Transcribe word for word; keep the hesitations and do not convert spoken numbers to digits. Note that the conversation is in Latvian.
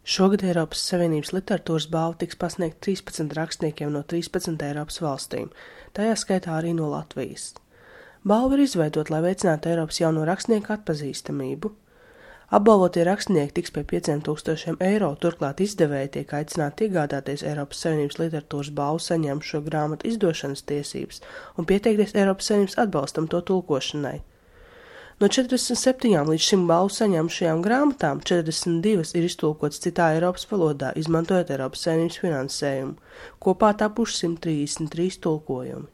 Šogad Eiropas Savienības literatūras balva tiks pasniegta trīspadsmit rakstniekiem no trīspadsmit Eiropas valstīm, tajā skaitā arī no Latvijas. Balva ir izveidota, lai veicinātu Eiropas jauno rakstnieku atpazīstamību. Apbalvotie rakstnieki tiks pie pieciem tūkstošiem eiro, turklāt izdevēji tiek aicināti iegādāties Eiropas Savienības literatūras balvu saņēmušo grāmatu izdošanas tiesības un pieteikties Eiropas Savienības atbalstam to tulkošanai. No četrdesmit septiņām līdz šim balvu saņēmušajām grāmatām četrdesmit divas ir iztulkotas citā Eiropas valodā, izmantojot Eiropas Savienības finansējumu. Kopā tapuši simt trīsdesmit trīs tulkojumi.